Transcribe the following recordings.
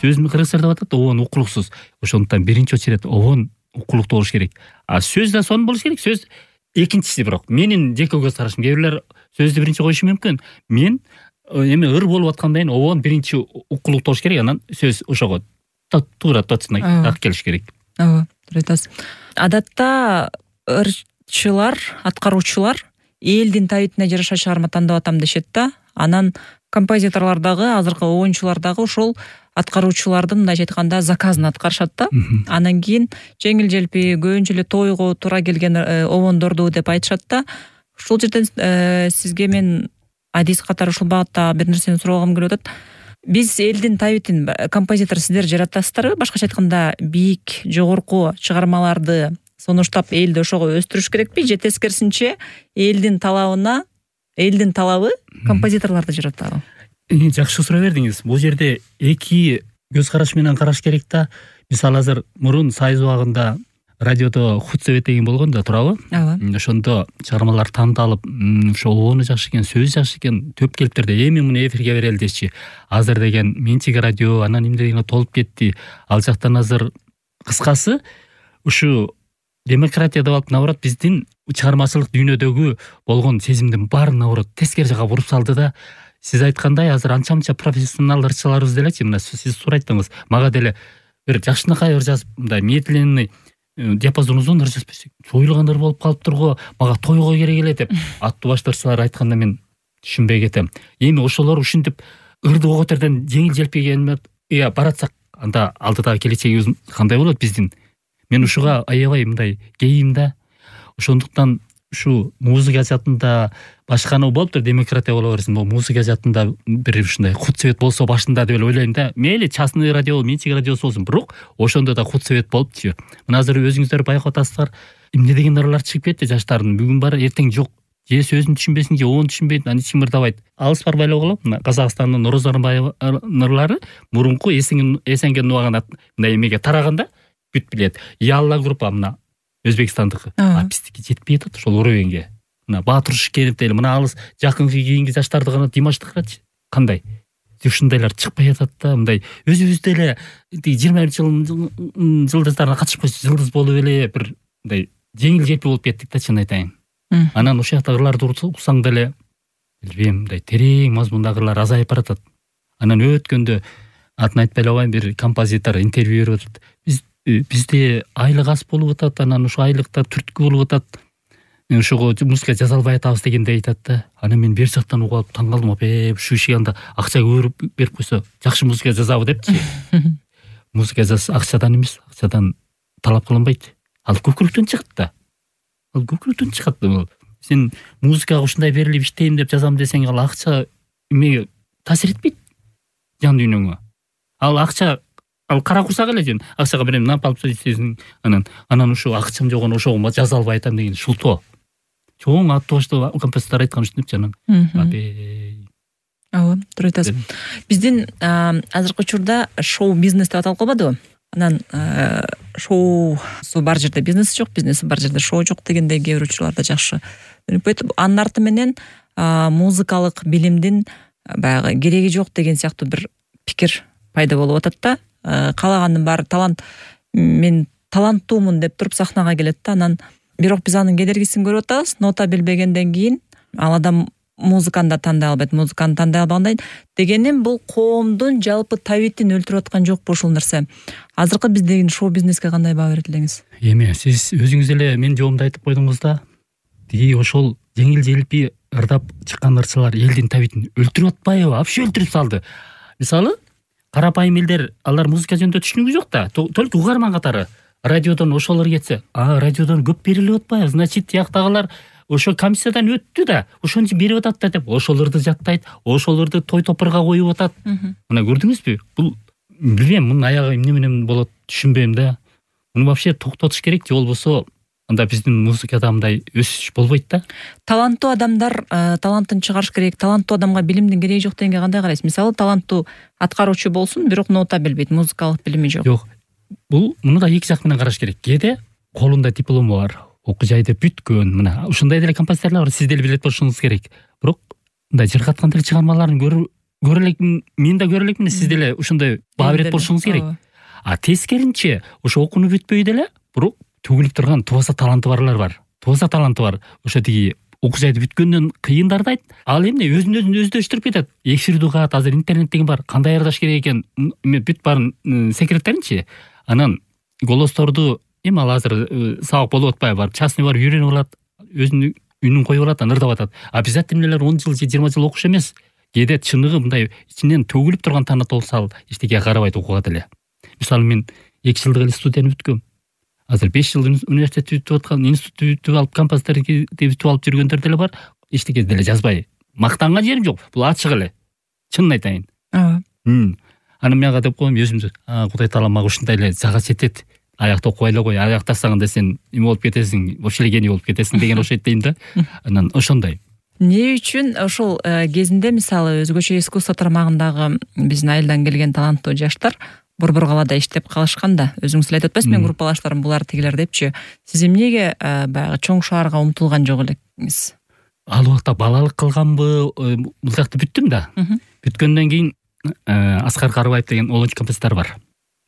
сөзүн кыргызча деп атат, обон укулуксуз. Ошондуктан биринчи очередь обон укулуктуу болуш керек. А сөз да сонун болуш керек. Сөз экинчиси бирок. Менин жеке көз карашым. Кээ бирлер сөздү биринчи коюшу мүмкүн. Мен эми ыр болуп аткандан кийин обон биринчи укулуктуу болуш керек, анан сөз ошого туура точно так келиш керек. Ооба, туура айтасыз. Адатта ырчылар, аткаруучулар элдин табитине жараша чыгарма тандап атам дешет да. Анан композиторлор дагы, азыркы оюнчулар дагы ошол аткаруучулардын мындайча айтканда заказын аткарышат да. Анан кийин жеңил-желпи көбүнчө эле тойго туура келген обондорду деп айтышат да. Ушул жерден сизге мен адис катары ушул багытта бир нерсени сурагым келип атат. Биз элдин табитин композитор сиздер жаратасыздарбы? Башкача айтканда бийик, жогорку чыгармаларды сунуштап элди ошого өстүрүш керекпи? Же тескерисинче элдин талабы композиторлорду жаратабы? Жакшы суроо бердиңиз. Бул жерде эки көз караш менен караш керек да. Мисалы азыр мурун Сайыз убагында радиодо худсовет деген болгон да, туурабы? Ооба. Ошондо чыгармалар тандалып, ошол обону жакшы экен, сөзү жакшы экен, төп келиптерди эми муну эфирге берели дешчи. Азыр деген менчик радио, анан эмне дегенге толуп кетти. Ал жактан азыр кыскасы ушу демократия деп алып, наоборот, биздин чыгармачылык дүйнөдөгү болгон сезимдин баарын наоборот тескери жака буруп салды да. Сиз айткандай азыр анча-мынча профессионал ырчыларыбыз делечи, мына сиз туура айттыңыз. Мага деле бир жакшынакай ыр жазып, мындай медленный диапазон узун ыр жазып берсек, чоюлган ыр болуп калыптыр го, мага тойго керек эле деп аттуу баштарчылар айтканда мен түшүнбөй кетем. Эми ошолор ушинтип ырды коготерден жеңил-желпи баратсак, анда алдыдагы келечегибиз кандай болот биздин? Мен ушуга аябай мындай кейим да. Ошондуктан ушу музыка жаатында башканы болуптур, демократия боло берсин, бул музыка жаатында бир ушундай худсовет болсо башында деп ойлойм да. Мейли частный радио, менчик радиосу болсун, бирок ошондо да худсовет болупчу. Мына азыр өзүңүздөр байкап атасыздар, эмне деген ырлар чыгып кетти жаштардын. Бүгүн бар, эртең жок. Же сөзүн түшүнбесин, же оон түшүнбөйт, анан ичим ырдабайт. Алыс барбай эле калат. Мына Казакстандын Нороз Арынбаеванын ырлары мурунку эсенген убагында мындай эмеге тараганда бүт билет. Ялла группа мына Өзбекстандыкы. Биздики жетпей атат ошол уровеньге. Мына Баатур Шыкенов дейли, мына алыс жакынкы кийинки жаштарды гана Димашты карачы. Кандай? Ушундайлар чыкпай атат да, мындай өзүбүз деле 20 жылдыздарына катышып койсо жылдыз болуп эле бир мындай жеңил-желпи болуп кеттик да, чын айтайын. Анан ошол жакта ырларды уксаң деле билбейм, мындай терең мазмундагы ырлар азайып баратат. Анан өткөндө атын айтпай эле коеюн, бир композитор интервью берип атат. Бизде айлык аз болуп атат, анан ошо айлыкта түрткү болуп атат. Ошого музыка жаза албай атабыз дегенде айтат да. Анан мен бер жактан угуп алып таң калдым. Ушу иши анда акча көп берип койсо жакшы музыка жазабы депчи. Музыка жазса акчадан эмес, акчадан талап кылынбайт. Ал көкүрөктөн чыгат да. Ал көкүрөктөн чыгат. Сен музыкага ушундай берилип иштейм деп жазам десең, ал акча эмеге таасир этпейт жан дүйнөңө. Ал акча, ал кара курсак эле сен акчага берем, нап алып сөйсөң, анан ушу акчам жок, ошого жаза албай атам деген шултоо. Чоң аттуу баштуу композитор айткан ушинтипчи анан. Ооба, туура айтасыз. Биздин азыркы учурда шоу бизнес деп аталып калбадыбы? Анан шоусу бар жерде бизнеси жок, бизнеси бар жерде шоу жок дегендей кээ бир учурларда жакшы көрүнүп кетип, анын арты менен музыкалык билимдин баягы кереги жок деген сыяктуу бир пикир пайда болуп атат да. Калагандын баары талант, мен таланттуумун деп туруп сахнага келет да, анан бирок биз анын кедергисин көрүп атабыз. Нота билбегенден кийин ал адам музыканы да тандай албайт, музыканы тандай албагандай дегеним бул коомдун жалпы табитин өлтүрүп аткан жокпу ушул нерсе? Азыркы биздеги шоу бизнеске кандай баа берет элеңиз? Эми сиз өзүңүз эле менин жообумду айтып койдуңуз да. Ошол жеңил-желпи ырдап чыккан ырчылар элдин табитин өлтүрүп атпайбы? Вообще өлтүрүп салды. Мисалы, карапайым элдер, алар музыка жөнүндө түшүнүгү жок да, только угарман катары. Радиодон ошолор кетсе, радиодон көп берилип атпайбы? Значит, тияктагылар ошо комиссиядан өттү да, ошон үчүн берип атат да деп, ошолорду жаттайт, ошолорду той топурга коюп атат. Мына көрдүңүзбү? Бул билбейм, мунун аягы эмне менен болот түшүнбөйм да. Муну вообще токтотуш керек, же болбосо анда биздин музыкада мындай өсүш болбойт да. Таланттуу адамдар талантын чыгарыш керек, таланттуу адамга билимдин кереги жок дегенге кандай карайсыз? Мисалы, таланттуу аткаруучу болсун, бирок нота билбейт, музыкалык билими жок. Жок. Бул муну да эки жак менен караш керек. Кээде колунда диплому бар, окуу жайды бүткөн, мына ушундай деле композиторлор бар, сиз деле билет болушуңуз керек. Бирок мындай жыргаткан деле чыгармаларын көрүп көрө элекмин, мен да көрө элекмин, сиз деле ушундай баа берет болушуңуз керек. А тескеринче ошо окууну бүтпөй деле бирок төгүлүп турган тубаса таланты барлар бар. Тубаса таланты бар. Ошо тиги окуу жайды бүткөндөн кыйындарды айт. Ал эмне өзүн өздөштүрүп кетет. Эфирди угат, азыр интернет деген бар. Кандай ырдаш керек экен, бүт баарын секреттеринчи. Анан голосторду эми ал азыр сабак болуп атпайбы, барып частный барып үйрөнүп алат, өзүнүн үнүн коюп алат, анан ырдап атат. А обязательно 10 жыл же 20 жыл окуш эмес. Кээде чыныгы мындай ичинен төгүлүп турган талант болсо ал эчтекеге карабайт окууга деле. Мисалы мен 2 жылдык эле студияны бүткөм. Азыр 5 жыл университет бүтүп аткан, институт бүтүп алып, композиторду бүтүп алып жүргөндөр деле бар. Эчтеке деле жазбай. Мактанган жерим жок. Бул ачык эле. Чынын айтайын. Анан мен ага деп коем өзүмдү. Кудай таала мага ушундай эле жага жетет. Аякта окубай эле кой. Аяктасаң да сен эме болуп кетесиң, вообще эле гений болуп кетесиң деген окшойт дейм да. Анан ошондой. Эмне үчүн ошол кезинде мисалы өзгөчө искусство тармагындагы биздин айылдан келген таланттуу жаштар борбор калаада иштеп калышкан да, өзүңүз эле айтып атпайсызбы, мен группалаштарым булар тигилер депчи. Сиз эмнеге баягы чоң шаарга умтулган жок элексиз? Ал убакта балалык кылганбы, бул жакта бүттүм да. Бүткөндөн кийин Аскар Карыбаев деген олонч композитор бар.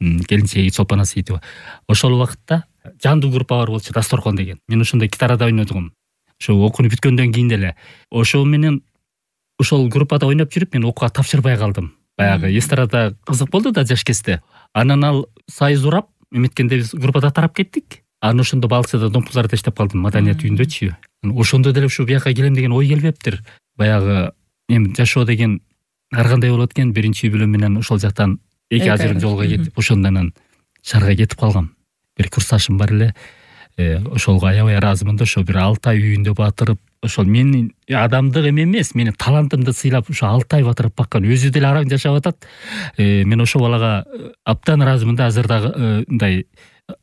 Келинчеги Чолпон Асиитова. Ошол убакытта жандуу группа бар болчу, Дасторкон деген. Мен ошондой гитарада ойнодум. Ошо окууну бүткөндөн кийин деле ошо менен ошол группада ойноп жүрүп мен окууга тапшырбай калдым. Баягы эстрада кызык болду да жаш кезде. Анан ал сайыз урап, эметкенде биз группада тарап кеттик. Анан ошондо Балыкчыда Домпузарда иштеп калдым, маданият үйүндөчү. Ошондо деле ушу бияка келем деген ой келбептир. Баягы эми жашоо деген ар кандай болот экен, биринчи үй бүлө менен ошол жактан 2 ажырым жолго кетип, ошондон шаарга кетип калгам. Бир курсташым бар эле. Ошолго аябай ыраазымын да, ошо бир 6 ай үйүндө батырып, ошол менин адамдык эмес, менин талантымды сыйлап ошо 6 ай батырып баккан, өзү деле араң жашап атат. Мен ошол балага абдан ыраазымын да, азыр дагы мындай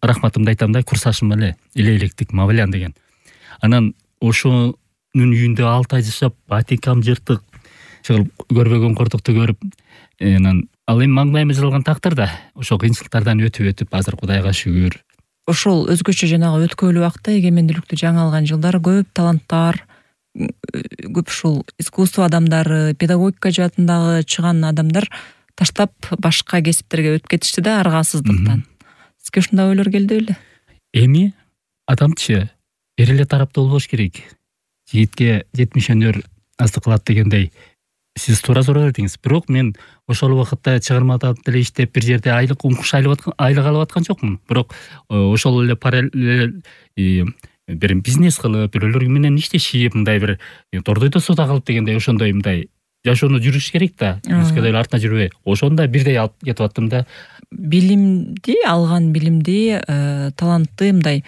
рахматымды айтам да, курсташым эле, электик Мавлян деген. Анан ошонун үйүндө 6 ай жашап, батикам жыртык, чыгып көрбөгөн кордукту көрүп, анан ал эми маңдайыма жазылган тактыр да, ошол кыйынчылыктардан өтүп, азыр Кудайга шүгүр. Ошол өзгөчө жанагы өткөйлүү убакта эгемендүүлүктү жаңы алган жылдары көп таланттар, көп ушул искусство адамдары, педагогика жаатындагы чыган адамдар таштап башка кесиптерге өтүп кетишти да, аргасыздыктан. Сизге ушундай ойлор келди беле? Эми адамчы эр эле тараптуу болбош керек. Жигитке 70 өнөр азды кылат дегендей. Сиз туура суроо бердиңиз. Бирок мен ошол убакытта чыгармада деле иштеп бир жерде айлык умкуш айлык алып аткан жокмун. Бирок ошол эле параллель бир бизнес кылып, бирөөлөр менен иштешип, мындай бир тордойдо суда калып дегендей ошондой мындай жашоону жүрүш керек да. Бизге деле артына жүрбөй. Ошондой бирдей алып кетип аттым да. Билимди, алган билимди, талантты мындай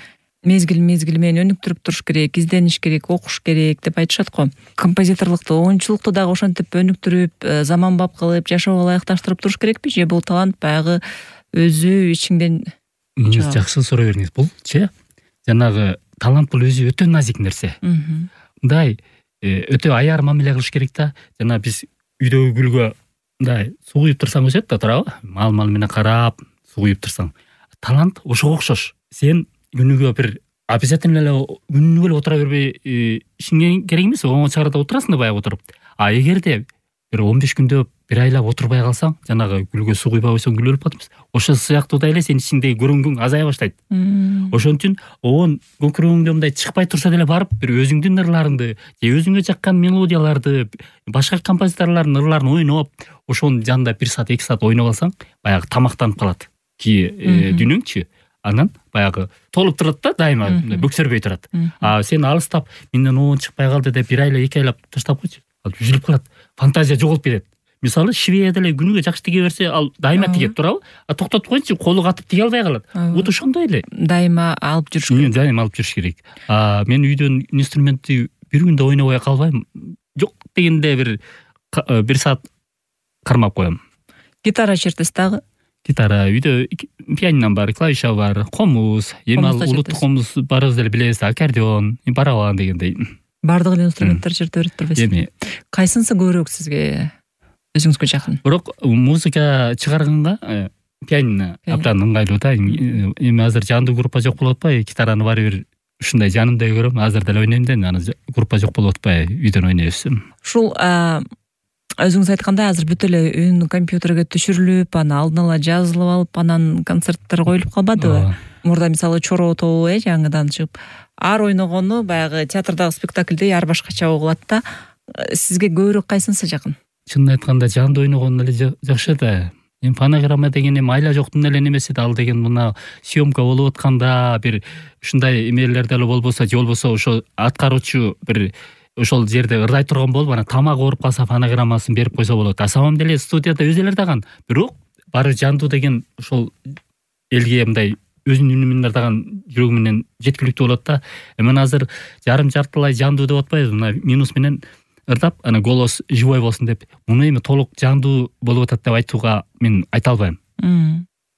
мезгил менен өнүктүрүп туруш керек, издениш керек, окуш керек деп айтышат го. Композиторлукту, оюнчулукту дагы ошентип өнүктүрүп, заманбап кылып, жашоого ылайыкташтырып туруш керекпи же бул талант баягы өзү ичиңден? Жакшы суроо бердиңиз. Булчы жанагы талант бул өзү өтө назик нерсе. Мындай өтө аяр мамиле кылыш керек да. Жана биз үйдөгү гүлгө мындай суу куюп турсаң өсөт да, туурабы? Мал менен карап суу куюп турсаң. Талант ошого окшош. Сен күнүгө бир обязательно эле күнүгө эле отура бербей ишиңе керек эмес, оңой чыгарда отурасың да баягы отуруп. А эгерде бир 15 күндө бир айлап отурбай калсаң, жанагы гүлгө суу куйбай койсоң гүл өлүп калат эмес. Ошол сыяктуудай эле сенин ичиңдеги көрүнгүң азая баштайт. Ошон үчүн оон көкүрөгүңдө мындай чыкпай турса деле барып бир өзүңдүн ырларыңды же өзүңө жаккан мелодияларды, башка композиторлордун ырларын ойноп, ошонун жанында 1 саат 2 саат ойноп алсаң, баягы тамактанып калат ки дүйнөңчү. Анан баягы толуп турат да, дайыма бөксөрбөй турат. А сен алыстап, менден оон чыкпай калды деп 1 айлап 2 айлап таштап койчу. Ал үзүлүп калат. Фантазия жоголуп кетет. Мисалы, швея деле күнүгө жакшы тиге берсе, ал дайыма тигет, туурабы? А токтотуп койчу, колу катып тиге албай калат. Вот ошондой эле. Дайыма алып жүрүш керек. Дайыма алып жүрүш керек. Мен үйдөн инструментти бир күндө ойнобой калбайм. Жок дегенде бир саат кармап коем. Гитара чертесиз дагы? Гитара үйдө пианино бар, клавиша бар, комуз, эми ал улуттук комуз барыбыз деле билебиз, аккордеон, барабан дегендей. Бардык эле инструменттер черте берет турбайсызбы? Эми кайсынысы көбүрөөк сизге өзүңүзгө жакын? Бирок музыка чыгарганга пианино абдан ыңгайлуу да. Эми азыр жандуу группа жок болуп атпайбы? Гитараны баары бир ушундай жанымдай көрөм, азыр деле ойнойм да, анан группа жок болуп атпайбы? Үйдөн ойнойбуз. Ушул өзүңүз айткандай азыр бүт эле үн компьютерге түшүрүлүп, аны алдын ала жазылып алып, анан концерттер коюлуп калбадыбы? Мурда мисалы Чоро тобу жаңыдан чыгып, ар ойногону баягы театрдагы спектакльдей ар башкача угулат да. Сизге көбүрөөк кайсынысы жакын? Чынын айтканда жандуу ойногон эле жакшы да. Эми фонограмма деген эми айла жоктун эле немеси да, ал деген мына съемка болуп атканда бир ушундай эмелер деле болбосо, же болбосо ошо аткаруучу бир ошол жерде ырдай турган болуп, анан тамак ооруп калса фонограммасын берип койсо болот. А самом деле студияда өзүлөр даган, бирок баары жандуу деген ошол элге мындай өзүнүн үнү менен даган жүрөгү менен жеткиликтүү болот да. Мен азыр жарым-жартылай жандуу деп атпайбыз, мына минус менен ырдап, ана голос живой болсун деп. Муну эми толук жандуу болуп атат деп айтууга мен айта албайм.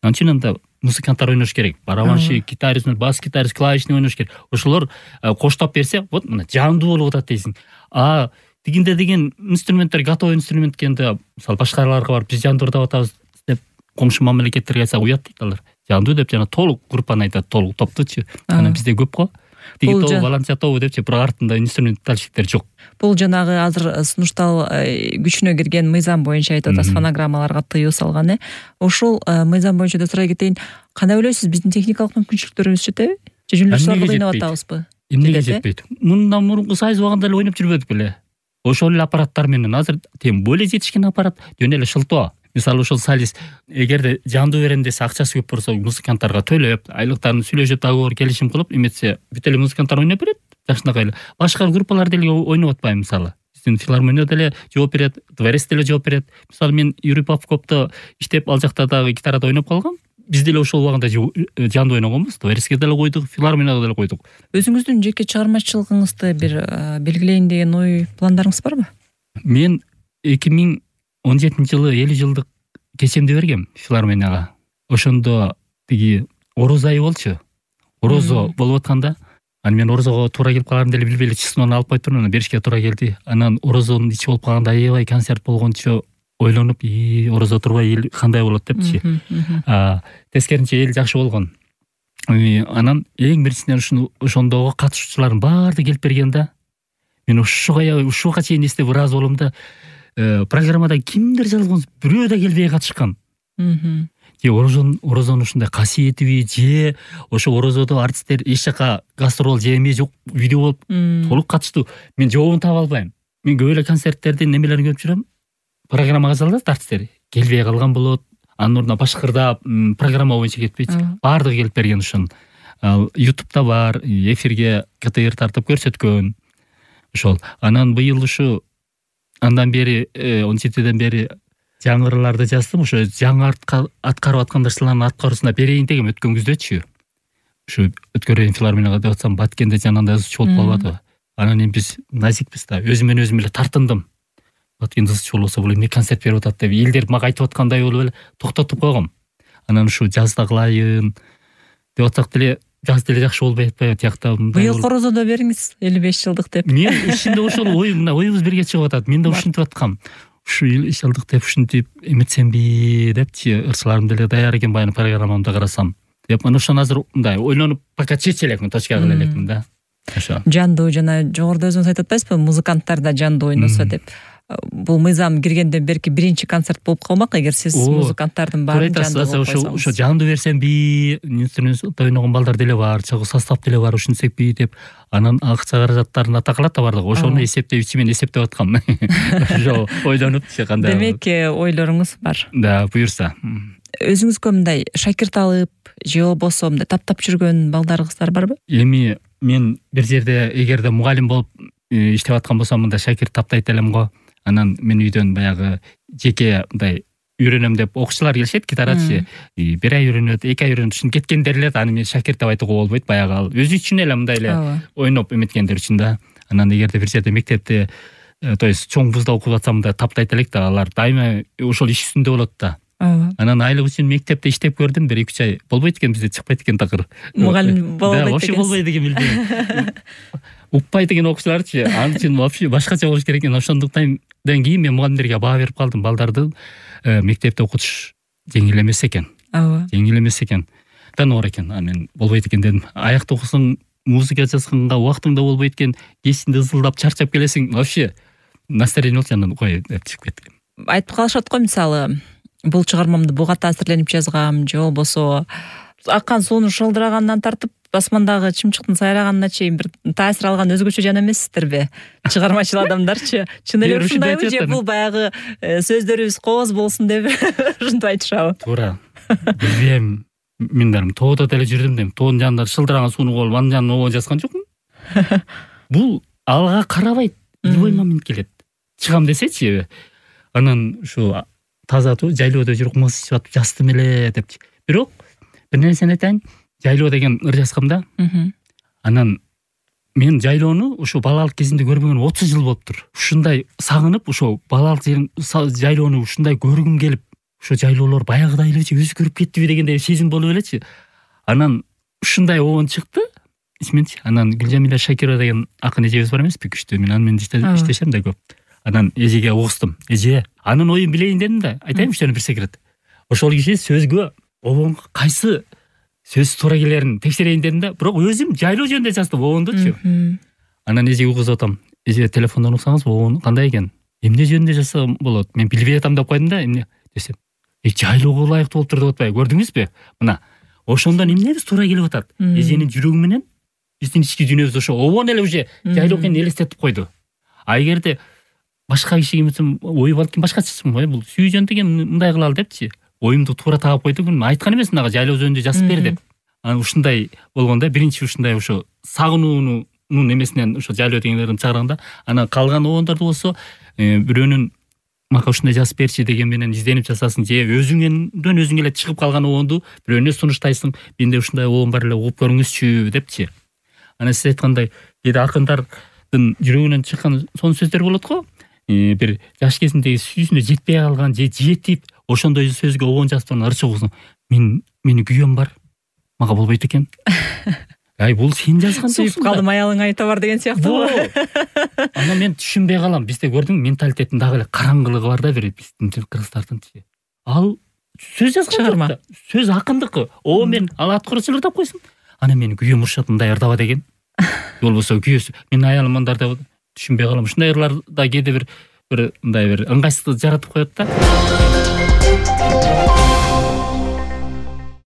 Анчын анда музыканттар ойнош керек. Барабанщик, гитарист, бас гитарист, клавишный ойнош керек. Ошолор коштоп берсе, вот мына жандуу болуп атат дейсиң. А тигинде деген инструменттер, готовый инструмент кенде, мисалы башкаларга барып биз жандуу ырдап атабыз деп комшу мамлекеттерге айтсак уят дейт алар. Жандуу деп жана толук группаны айтат, толук топтучу. Анан бизде көп го. Тиги тобу, баланча тобу депчи, бирок артында инструментальщиктер жок. Бул жанагы азыр сунуштал күчүнө кирген мыйзам боюнча айтып атасыз, фонограммаларга тыюу салган, Ошол мыйзам боюнча да сурай кетейин. Кандай ойлойсуз, биздин техникалык мүмкүнчүлүктөрүбүз жетеби? Же жөндөшүлөргө ойноп атабызбы? Эмнеге жетпейт? Мындан мурунку сайыз убагында эле ойноп жүрбөдүк беле? Ошол эле аппараттар менен азыр тем более жетишкен аппарат, жөн эле шылтоо. Мисалы ошол солист эгерде жандуу берем десе, акчасы көп болсо музыканттарга төлөп, айлыктарын сүйлөшүп, договор келишим кылып, эметсе бүт эле музыканттар ойноп берет. Жакшынакай эле. Башка группалар деле ойноп атпайбы мисалы. Биздин филармония деле жооп берет, дворец деле жооп берет. Мисалы мен Юрий Попковто иштеп, ал жакта дагы гитарада ойноп калгам. Биз деле ошол убагында жандуу ойногонбуз. Дворецке деле койдук, филармонияга деле койдук. Өзүңүздүн жеке чыгармачылыгыңызды бир белгилейин деген ой, пландарыңыз барбы? Мен 2017-жылы 50 жылдык кечемди бергем филармонияга. Ошондо тиги орозо айы болчу. Орозо болуп атканда, анан мен орозого туура келип каларын деле билбей эле числону алып койуп турмун, беришке туура келди. Анан орозонун ичи болуп калганда, аябай концерт болгончо ойлонуп, орозо турбай эл кандай болот депчи. Тескеринче эл жакшы болгон. Анан эң биринчиден ошондогу катышуучулардын баардыгы келип берген да. Мен ушуга чейин эстеп ыраазы болом да. Программада кимдер жазган, бирөө да келбей катышкан. Же орозонун ушундай касиетиби, же ошо орозодо артисттер эч жака гастрол же эме жок, видео болуп толук катыштуу. Мен жообун таба албайм. Мен көп эле концерттердин немелерин көрүп жүрөм. Программага жазылат артисттер, келбей калган болот. Анын ордуна башкырдап, программа боюнча кетпейт. Баардыгы келип берген ушун. YouTube'да бар, эфирге КТР тартып көрсөткөн. Ошол. Анан быйыл ушу андан бери 17ден бери жаңырыларды жаздым. Ошо жаңы аткарып аткандарчылардын аткаруусуна берейин дегем өткөн күздөчү. Ушу өткөрөйүн филармонияга деп атсам, Баткенде жанында жазуучу болуп калбады. Анан эми биз назикпиз да, өзүм эле тартындым. Баткен жазуучу болсо бул эмне концерт берип атат деп элдер мага айтып аткандай болуп эле токтотуп койгом. Анан ушу жазда кылайын деп атсак деле, жаз деле жакшы болбой атпайбы тиякта. Быйыл Корозодо бериңиз, 55 жылдык деп. Мен ичинде ошол оюбуз бирге чыгып атат. Мен да ушинтип аткам. Ушу 55 жылдык деп ушинтип эметсемби депчи, ырчыларым деле даяр экен, баягы программамды карасам. Деп мен ошон азыр мындай ойлонуп пока чече элекмин, точка кыла элекмин да. Ошо. Жандуу жана жогоруда өзүңүз айтып атпайсызбы, музыканттар да жандуу ойносо деп. Бул мыйзам киргенден берки биринчи концерт болуп калмак, эгер сиз музыканттардын баарын жандуу болуп койсоңуз. Ошо жандуу берсемби, инструмент ойногон балдар деле бар, чогуу состав деле бар, ушинтсекпи деп. Анан акча каражаттарын атакалат да бардыгы. Ошону эсептеп, ичимен эсептеп аткам. Ошо ойлонуп кандай. Демек, ойлоруңуз бар. Да, буюрса. Өзүңүзгө мындай шакирт алып, же болбосо мындай таптап жүргөн балдарыңыздар барбы? Эми мен бир жерде эгерде мугалим болуп иштеп аткан болсом, мындай шакирт таптайт элем го. Анан мен үйдөн баягы жеке мындай үйрөнөм деп окуучулар келишет, гитарачы. Бир ай үйрөнөт, 2 ай үйрөнүп, ушин кеткендер эле, аны мен шакирт деп айтууга болбойт, баягы ал өзү үчүн эле мындай эле ойноп эметкендер үчүн да. Анан эгерде бир жерде мектепте, то есть чоң вузда окуп атсам, мындай таптайт элек да, алар дайыма ошол иш үстүндө болот да. Анан айлык үчүн мектепте иштеп көрдүм, 1-2 ай. Болбойт экен, бизде чыкпайт экен такыр. Мугалим болбойт экен. Вообще болбойт экен, билбейм. Укпай деген окуучуларчы, ан үчүн вообще башкача болуш керек экен. Ошондуктан кийин мен мугалимдерге баа берип калдым. Балдарды мектепте окутуш жеңил эмес экен. Жеңил эмес экен. Оор экен. Мен болбойт экен дедим. Аякта окусаң, музыка жазганга убактың да болбойт экен. Кечинде ызылдап чарчап келесиң. Вообще настроение болчу, анан кой деп чыгып кеттим. Айтып калышат го, мисалы, бул чыгармамды буга таасирленип жазгам же болбосо аккан суунун шылдыраганынан тартып басмандагы чымчыктын сайраганына чейин бир таасир алган өзгөчө жан эмессиздерби чыгармачыл адамдарчы? Чын эле ушундайбы же бул баягы сөздөрүбүз кооз болсун деп ушинтип айтышабы? Туура. Билбейм. Мен дарым тоодо деле жүрдүм дейм. Тоонун жанында шылдыраган сууну колуп анын жанына обон жазган жокмун. Бул алга карабайт. Любой момент келет. Чыгам десечи, анан ушу тазатуу жайлоодо жүрүп кымыз ичип атып жаздым эле депчи. Бирок бир нерсени айтайын, жайлоо деген ыр жазгам да. Анан мен жайлоону ушу балалык кезимде көрбөгөн 30 жыл болуптур. Ушундай сагынып, ошо балалык жайлоону ушундай көргүм келип, ошо жайлоолор баягыдай элечи өзгөрүп кеттиби дегендей сезим болуп элечи. Анан ушундай обон чыкты. Исменчи, анан Гүлжамиля Шакирова деген акын эжебиз бар эмеспи, күчтүү. Мен аны менен иштешем да көп. Анан эжеге угуздум. Эже, анын оюн билейин дедим да. Айтайын сени бир секрет. Ошол киши сөзгө обонго кайсы сөз туура келерин текшерейин дедим да. Бирок өзүм жайлоо жөнүндө жаздым обондучу. Анан эжеге угузуп атам. Эже, телефондон уксаңыз обон кандай экен? Эмне жөнүндө жазсам болот? Мен билбей атам деп койдум да. Эмне десем, жайлоого ылайыктуу болуптур деп атпайбы? Көрдүңүзбү? Мына, ошондон эмнебиз туура келип атат? Эженин жүрөгү менен биздин ички дүйнөбүз ошо обон эле уже жайлоо экенин элестетип койду. А эгерде башка кишиге эмесем, ою балким башкача чыкмын, бул сүйүү жөнүндө мындай кылалы депчи. Оюмду туура таап койду. Мен айткан эмесмин ага жайлоо жөнүндө жазып бер деп. Анан ушундай болгондо биринчи ушундай ошо сагынуунун эмесинен ошо жайлоо дегендердин чыгарганда, анан калган обондорду болсо бирөөнүн мага ушундай жазып берчи деген менен изденип жасасын, же өзүңдөн өзүң эле чыгып калган обонду бирөөнө сунуштайсың, менде ушундай обон бар эле, угуп көрүңүзчү депчи. Анан сиз айткандай, кээде акындардын жүрөгүнөн чыккан сонун сөздөр болот го. Бир жаш кезиндеги сүйүүсүнө жетпей калган же жетип, ошондой сөзгө обон жазып турган ырчы кызым. Менин күйөөм бар. Мага болбойт экен. Ай, бул сен жазган жоксуң. Сүйүп калдым, аялың айта бар деген сыяктуу. Анан мен түшүнбөй калам. Бизде көрдүң, менталитеттин дагы эле караңгылыгы бар да, бир биздин кыргыздардынчы. Ал сөз жазган жок. Сөз акындыкы. О, мен ал аткарып ырдап койсун. Анан менин күйөөм урушат, мындай ырдаба деген. Болбосо күйөөсү, менин аялым мындай деп түшүнбөй калам. Ушундай ырларда кээде бир мындай бир ыңгайсыздык жаратып коет да.